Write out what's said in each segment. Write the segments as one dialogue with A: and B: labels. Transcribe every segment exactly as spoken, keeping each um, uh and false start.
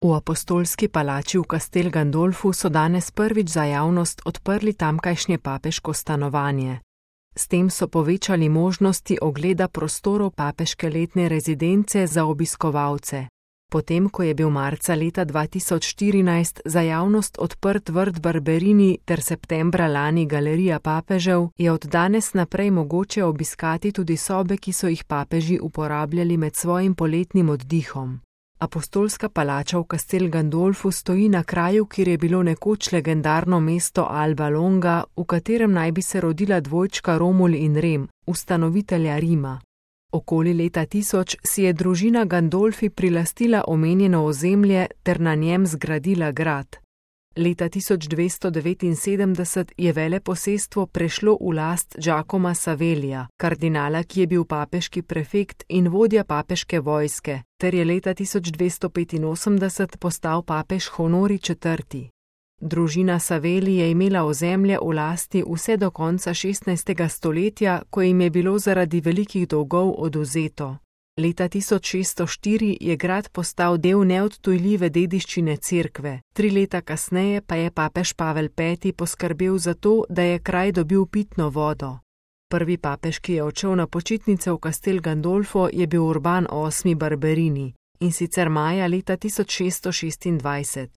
A: V apostolski palači v Castel Gandolfu so danes prvič za javnost odprli tamkajšnje papeško stanovanje. S tem so povečali možnosti ogleda prostorov papeške letne rezidence za obiskovalce. Potem, ko je bil marca leta dva tisoč štirinajst za javnost odprt vrt Barberini ter septembra lani galerija papežev, je od danes naprej mogoče obiskati tudi sobe, ki so jih papeži uporabljali med svojim poletnim oddihom. Apostolska palača v Castel Gandolfu stoji na kraju, kjer je bilo nekoč legendarno mesto Alba Longa, v katerem naj bi se rodila dvojčka Romul in Rem, ustanovitelja Rima. Okoli leta tisoč si je družina Gandolfi prilastila omenjeno ozemlje ter na njem zgradila grad. Leta tisoč dvesto devetinsedemdeset je veleposestvo prešlo v last Giacoma Savellija, kardinala, ki je bil papeški prefekt in vodja papeške vojske, ter je leta tisoč dvesto petinosemdeset postal papež Honori četrti. Družina Savelli je imela ozemlje v lasti vse do konca šestnajstega stoletja, ko jim je bilo zaradi velikih dolgov odvzeto. Leta tisoč šeststo štiri je grad postal del neodtujljive dediščine cerkve, tri leta kasneje pa je papež Pavel peti poskrbel za to, da je kraj dobil pitno vodo. Prvi papež, ki je odšel na počitnice v Castel Gandolfo, je bil Urban osmi Barberini, in sicer maja leta tisoč šeststo šestindvajset.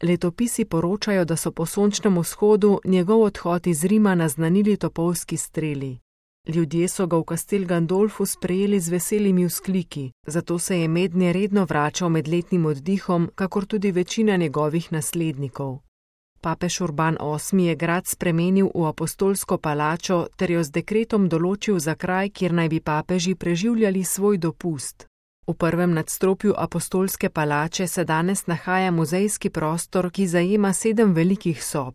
A: Letopisi poročajo, da so po sončnem vzhodu njegov odhod iz Rima naznanili topovski streli. Ljudje so ga v Castel Gandolfu sprejeli z veselimi vzkliki, zato se je mednje redno vračal med letnim oddihom, kakor tudi večina njegovih naslednikov. Papež Urban osmi je grad spremenil v apostolsko palačo ter jo z dekretom določil za kraj, kjer naj bi papeži preživljali svoj dopust. V prvem nadstropju apostolske palače se danes nahaja muzejski prostor, ki zajema sedem velikih sob.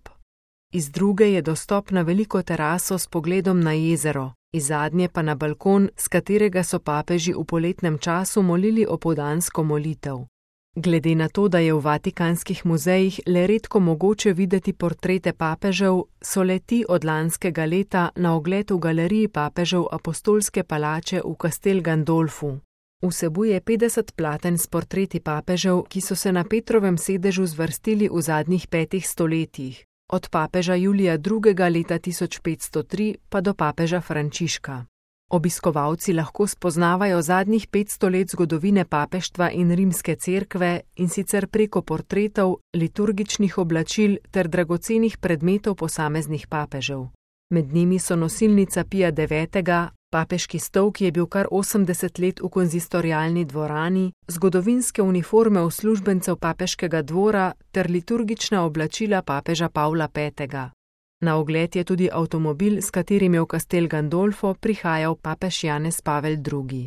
A: Iz druge je dostop na veliko teraso s pogledom na jezero, iz zadnje pa na balkon, s katerega so papeži v poletnem času molili opoldansko molitev. Glede na to, da je v vatikanskih muzejih le redko mogoče videti portrete papežev, so le ti od lanskega leta na ogled v galeriji papežev apostolske palače v Castel Gandolfu. Vsebuje petdeset platen s portreti papežev, ki so se na Petrovem sedežu zvrstili v zadnjih petih stoletjih, od papeža Julija drugega leta tisoč petsto tri pa do papeža Frančiška. Obiskovalci lahko spoznavajo zadnjih petsto let zgodovine papeštva in rimske cerkve, in sicer preko portretov, liturgičnih oblačil ter dragocenih predmetov posameznih papežev. Med njimi so nosilnica Pija devetega, papeški stol, ki je bil kar osemdeset let v konzistorialni dvorani, zgodovinske uniforme uslužbencev papeškega dvora ter liturgična oblačila papeža Pavla petega. Na ogled je tudi avtomobil, s katerim je v Castel Gandolfo prihajal papež Janez Pavel drugi.